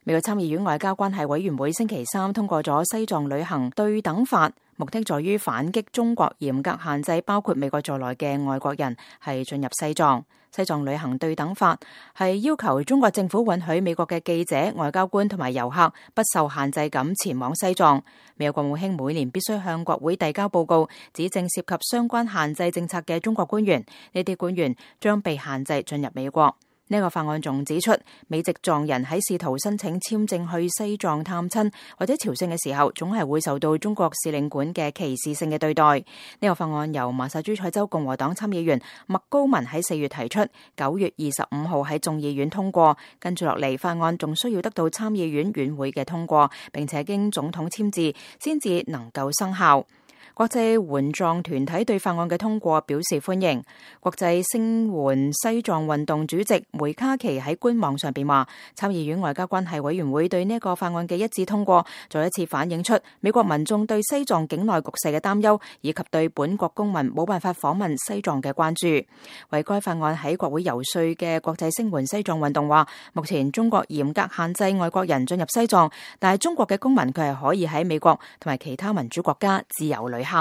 美國參議院外交關係委員會星期三通過咗西藏旅行對等法，目的在於反擊中國嚴格限制包括美國在內嘅外國人係進入西藏。西藏旅行對等法係要求中國政府允許美國嘅記者、外交官同埋遊客不受限制咁前往西藏。美國國務卿每年必須向國會遞交報告，指正涉及相關限制政策嘅中國官員，呢啲官員將被限制進入美國。呢個法案仲指出，美籍藏人喺試圖申請簽證去西藏探親或者朝聖嘅時候，總係會受到中國使領館嘅歧視性嘅對待。呢個法案由麻薩諸塞州共和黨參議員麥高文喺4月提出，9月25號喺眾議院通過，跟住落嚟法案仲需要得到參議院院會嘅通過，並且經總統簽字先至能夠生效。國際援藏團體對法案嘅通過表示歡迎。國際聲援西藏運動主席梅卡奇喺官網上邊話，參議院外交關係委員會對呢個法案嘅一致通過，再一次反映出美國民眾對西藏境內局勢嘅擔憂，以及對本國公民冇辦法訪問西藏嘅關注。為該法案喺國會游說嘅國際聲援西藏運動話，目前中國嚴格限制外國人進入西藏，但係中國嘅公民佢係可以喺美國同埋其他民主國家自由旅行。